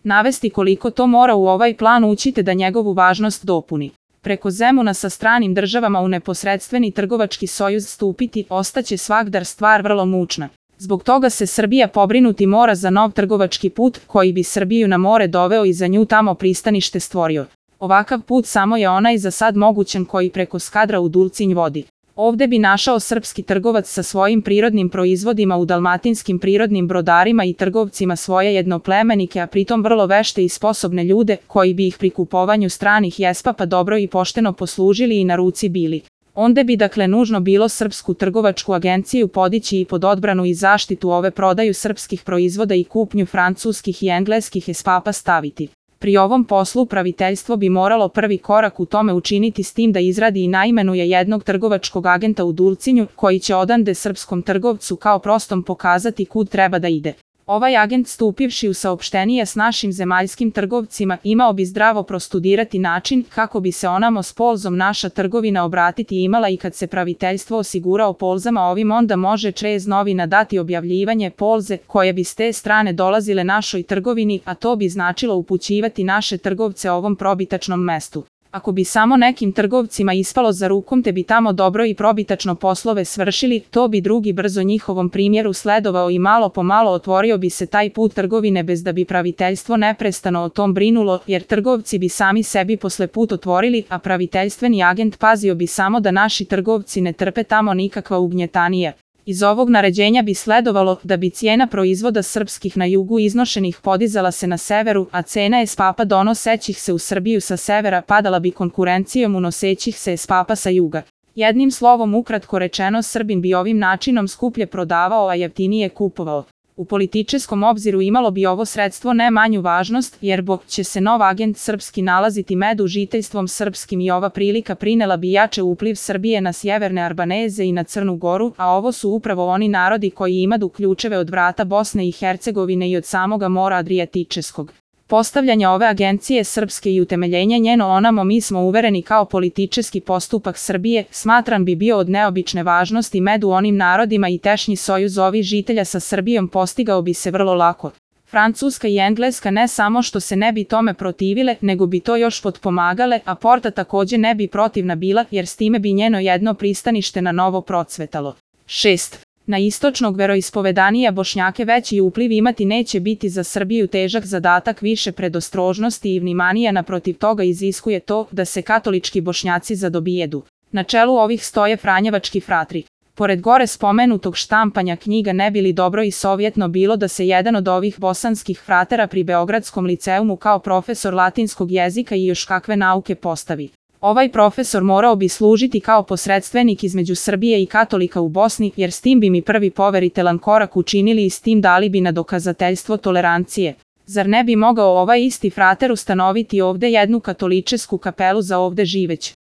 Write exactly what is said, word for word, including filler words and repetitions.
navesti koliko to mora u ovaj plan ući te da njegovu važnost dopuni. Preko Zemuna sa stranim državama u neposredstveni trgovački sojuz stupiti ostaće svagdar stvar vrlo mučna. Zbog toga se Srbija pobrinuti mora za nov trgovački put koji bi Srbiju na more doveo i za nju tamo pristanište stvorio. Ovakav put samo je onaj za sad mogućan koji preko Skadra u Dulcinj vodi. Ovde bi našao srpski trgovac sa svojim prirodnim proizvodima u dalmatinskim prirodnim brodarima i trgovcima svoje jednoplemenike, a pritom vrlo vešte i sposobne ljude koji bi ih pri kupovanju stranih jespapa dobro i pošteno poslužili i na ruci bili. Onda bi dakle nužno bilo srpsku trgovačku agenciju podići i pod odbranu i zaštitu ove prodaju srpskih proizvoda i kupnju francuskih i engleskih jespapa staviti. Pri ovom poslu praviteljstvo bi moralo prvi korak u tome učiniti s tim da izradi i naimenuje jednog trgovačkog agenta u Dulcinju koji će odande srpskom trgovcu kao prostom pokazati kud treba da ide. Ovaj agent stupivši u saopštenije s našim zemaljskim trgovcima imao bi zdravo prostudirati način kako bi se onamo s polzom naša trgovina obratiti imala i kad se praviteljstvo osigurao polzama ovim onda može čez novina dati objavljivanje polze koje bi s te strane dolazile našoj trgovini, a to bi značilo upućivati naše trgovce ovom probitačnom mestu. Ako bi samo nekim trgovcima ispalo za rukom te bi tamo dobro i probitačno poslove svršili, to bi drugi brzo njihovom primjeru sledovao i malo po malo otvorio bi se taj put trgovine bez da bi praviteljstvo neprestano o tom brinulo, jer trgovci bi sami sebi posle put otvorili, a praviteljstveni agent pazio bi samo da naši trgovci ne trpe tamo nikakva ugnjetanija. Iz ovog naređenja bi sledovalo da bi cijena proizvoda srpskih na jugu iznošenih podizala se na severu, a cena jespapa donosećih se u Srbiju sa severa padala bi konkurencijom unosećih se jespapa sa juga. Jednim slovom ukratko rečeno Srbin bi ovim načinom skuplje prodavao, a jeftinije kupovao. U političkom obziru imalo bi ovo sredstvo ne manju važnost, jer bo će se nov agent srpski nalaziti među žiteljstvom srpskim i ova prilika prinela bi jače upliv Srbije na sjeverne Arbaneze i na Crnu Goru, a ovo su upravo oni narodi koji imaju ključeve od vrata Bosne i Hercegovine i od samoga mora Adriatičeskog. Postavljanje ove agencije srpske i utemeljenje njeno onamo mi smo uvereni kao politički postupak Srbije, smatran bi bio od neobične važnosti među onim narodima i tešnji sojuz ovih žitelja sa Srbijom postigao bi se vrlo lako. Francuska i Engleska ne samo što se ne bi tome protivile, nego bi to još potpomagale, a Porta takođe ne bi protivna bila, jer s time bi njeno jedno pristanište na novo procvetalo. šest. Na istočnog veroispovedanija Bošnjake veći upliv imati neće biti za Srbiju težak zadatak više predostrožnosti i vnimanija, naprotiv toga iziskuje to da se katolički Bošnjaci zadobijedu. Na čelu ovih stoje franjevački fratri. Pored gore spomenutog štampanja knjiga ne bi li dobro i sovjetno bilo da se jedan od ovih bosanskih fratera pri Beogradskom liceumu kao profesor latinskog jezika i još kakve nauke postavi. Ovaj profesor morao bi služiti kao posredstvenik između Srbije i katolika u Bosni, jer s tim bi mi prvi poveritelan korak učinili i s tim dali bi na dokazateljstvo tolerancije. Zar ne bi mogao ovaj isti frater ustanoviti ovde jednu katoličesku kapelu za ovde živeć?